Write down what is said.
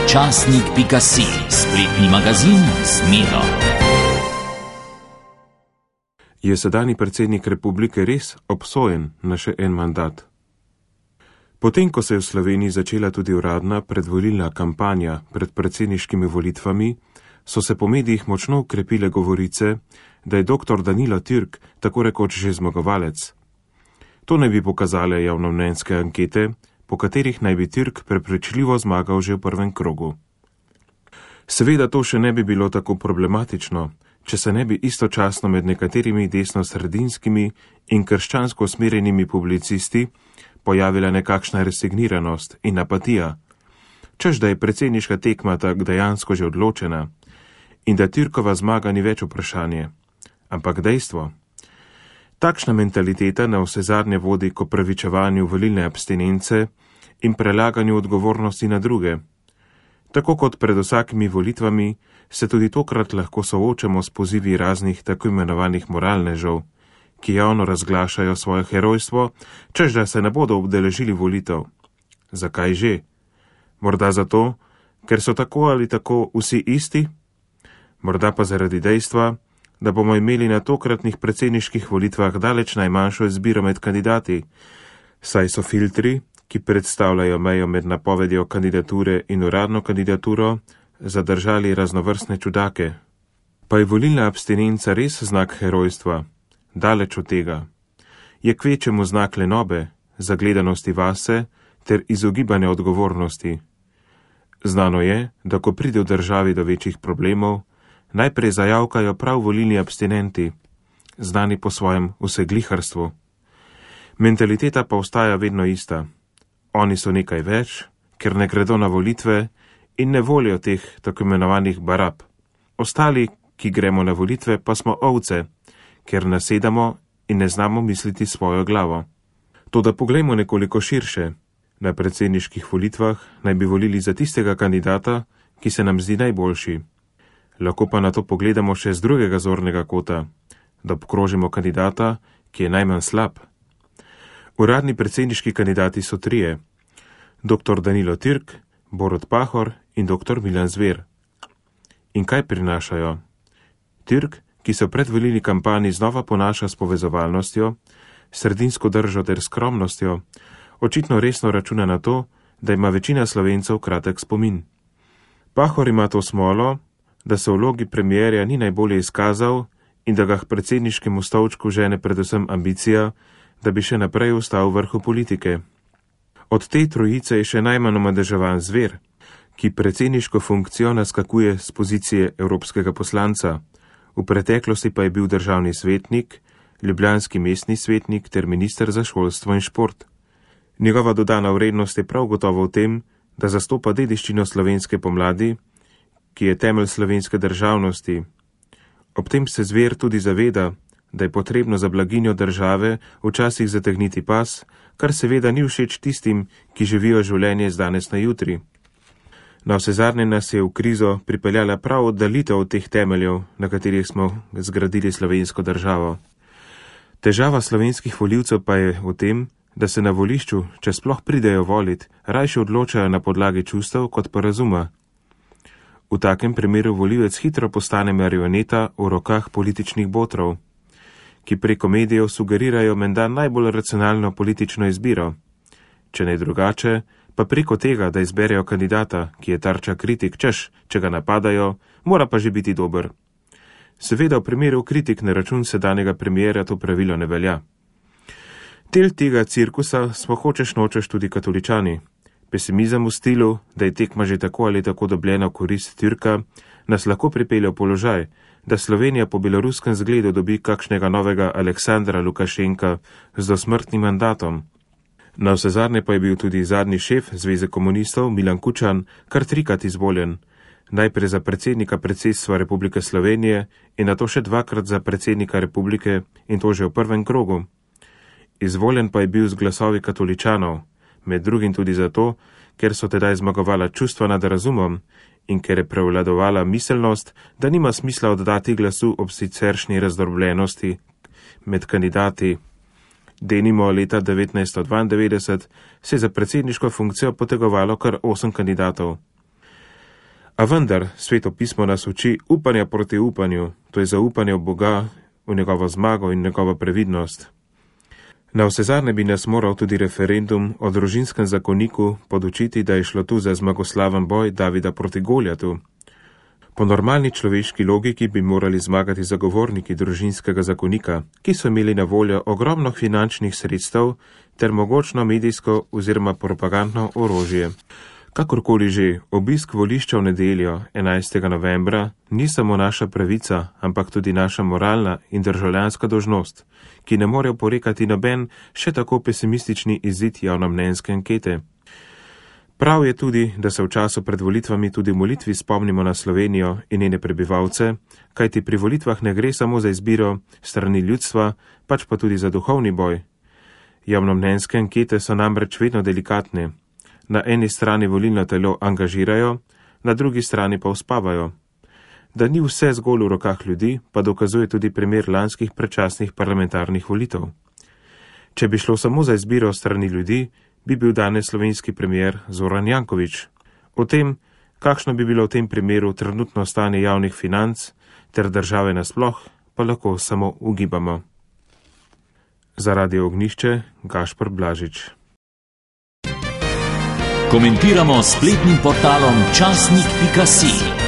Časnik.si, spletni magazin z Miro. Je sedanji predsednik republike res obsojen na še en mandat? Potem, ko se je v Sloveniji začela tudi uradna predvolilna kampanja pred predsedniškimi volitvami, so se po medijih močno ukrepile govorice, da je dr. Danilo Türk tako rekoč že zmagovalec. To naj bi pokazale javnomnenjske ankete, po katerih naj bi Türk prepričljivo zmagal že v prvem krogu. Seveda to še ne bi bilo tako problematično, če se ne bi istočasno med nekaterimi desnosredinskimi in krščansko usmerjenimi publicisti pojavila nekakšna resigniranost in apatija, čež da je predsedniška tekma tak dejansko že odločena in da Türkova zmaga ni več vprašanje, ampak dejstvo. Takšna mentaliteta na vsezadnje vodi k opravičevanju volilne abstinence in prelaganju odgovornosti na druge. Tako kot pred vsakimi volitvami se tudi tokrat lahko soočamo s pozivi raznih tako imenovanih moralnežev, ki javno razglašajo svoje herojstvo, čež da se ne bodo obdeležili volitev. Zakaj že? Morda zato, ker so tako ali tako vsi isti? Morda pa zaradi dejstva, da bomo imeli na tokratnih predsedniških volitvah daleč najmanjšo izbiro med kandidati, saj so filtri, ki predstavljajo mejo med napovedjo kandidature in uradno kandidaturo, zadržali raznovrstne čudake. Pa je volilna abstinenca res znak herojstva? Daleč od tega. Je kvečemu znak lenobe, zagledanosti vase ter izogibanja odgovornosti. Znano je, da ko pride v državi do večjih problemov, najprej zajavkajo prav volilni abstinenti, znani po svojem vsegliharstvu. Mentaliteta pa ostaja vedno ista. Oni so nekaj več, ker ne gredo na volitve in ne volijo teh tako imenovanih barab. Ostali, ki gremo na volitve, pa smo ovce, ker nasedamo in ne znamo misliti svojo glavo. Toda poglejmo nekoliko širše. Na predsedniških volitvah naj bi volili za tistega kandidata, ki se nam zdi najboljši. Lahko pa na to pogledamo še z drugega zornega kota, da obkrožimo kandidata, ki je najmanj slab. Uradni predsedniški kandidati so trije: dr. Danilo Türk, Borut Pahor in dr. Milan Zver. In kaj prinašajo? Türk, ki se v predvolilni kampanji znova ponaša s povezovalnostjo, sredinsko držo ter skromnostjo, očitno resno računa na to, da ima večina Slovencev kratek spomin. Pahor ima to smolo, da se v vlogi premierja ni najbolje izkazal in da ga k predsedniškemu stolčku žene predvsem ambicija, da bi še naprej ostal v vrhu politike. Od te trojice je še najmanj omadeževan Zver, ki predsedniško funkcijo naskakuje z pozicije evropskega poslanca, v preteklosti pa je bil državni svetnik, ljubljanski mestni svetnik ter minister za šolstvo in šport. Njegova dodana vrednost je prav gotovo v tem, da zastopa dediščino slovenske pomladi, ki je temelj slovenske državnosti. Ob tem se Zver tudi zaveda, da je potrebno za blaginjo države včasih zategniti pas, kar seveda ni všeč tistim, ki živijo življenje z danes na jutri. Na vsezadnje nas je v krizo pripeljala prav oddalitev od teh temeljev, na katerih smo zgradili slovensko državo. Težava slovenskih volivcev pa je v tem, da se na volišču, če sploh pridejo volit, rajše odločajo na podlagi čustev kot pa razuma. V takem primeru volivec hitro postane marioneta v rokah političnih botrov, ki preko medijev sugerirajo menda najbolj racionalno politično izbiro. Če ne drugače, pa preko tega, da izberejo kandidata, ki je tarča kritik, češ, če ga napadajo, mora pa že biti dober. Seveda v primeru kritik na račun sedanjega premierja to pravilo ne velja. Del tega cirkusa smo hočeš nočeš tudi katoličani. Pesimizem v stilu, da je tekma že tako ali tako dobljena v korist Türka, nas lahko pripelje v položaj, da Slovenija po beloruskem zgledu dobi kakšnega novega Aleksandra Lukašenka z dosmrtnim mandatom. Na vsezadnje pa je bil tudi zadnji šef Zveze komunistov Milan Kučan kar trikrat izvoljen, najprej za predsednika predsedstva Republike Slovenije in nato še dvakrat za predsednika republike in to že v prvem krogu. Izvoljen pa je bil z glasovi katoličanov, med drugim tudi zato, ker so tedaj zmagovala čustva nad razumom in ker je prevladovala miselnost, da nima smisla oddati glasu ob siceršnji razdrobljenosti med kandidati. Denimo leta 1992 se je za predsedniško funkcijo potegovalo kar 8 kandidatov. A vendar, Sveto pismo nas uči upanja proti upanju, to je zaupanje v Boga, v njegovo zmago in njegovo previdnost. Na vsezadnje bi nas moral tudi referendum o družinskem zakoniku podučiti, da je šlo tu za zmagoslaven boj Davida proti Goljatu. Po normalni človeški logiki bi morali zmagati zagovorniki družinskega zakonika, ki so imeli na voljo ogromno finančnih sredstev ter mogočno medijsko oziroma propagandno orožje. Kakorkoli že, obisk volišča v nedeljo 11. novembra ni samo naša pravica, ampak tudi naša moralna in državljanska dolžnost, ki ne more oporekati noben še tako pesimistični izid javnomnenjske ankete. Prav je tudi, da se v času pred volitvami tudi v molitvi spomnimo na Slovenijo in njene prebivalce, kajti pri volitvah ne gre samo za izbiro strani ljudstva, pač pa tudi za duhovni boj. Javnomnenjske ankete so namreč vedno delikatne. Na eni strani volilno telo angažirajo, na drugi strani pa uspavajo. Da ni vse zgolj v rokah ljudi, pa dokazuje tudi primer lanskih predčasnih parlamentarnih volitev. Če bi šlo samo za izbiro strani ljudi, bi bil danes slovenski premier Zoran Janković. O tem, kakšno bi bilo v tem primeru trenutno stanje javnih financ ter države nasploh, pa lahko samo ugibamo. Za Radio Ognjišče, Gašper Blažič. Komentiramo s spletnim portalom časnik.si.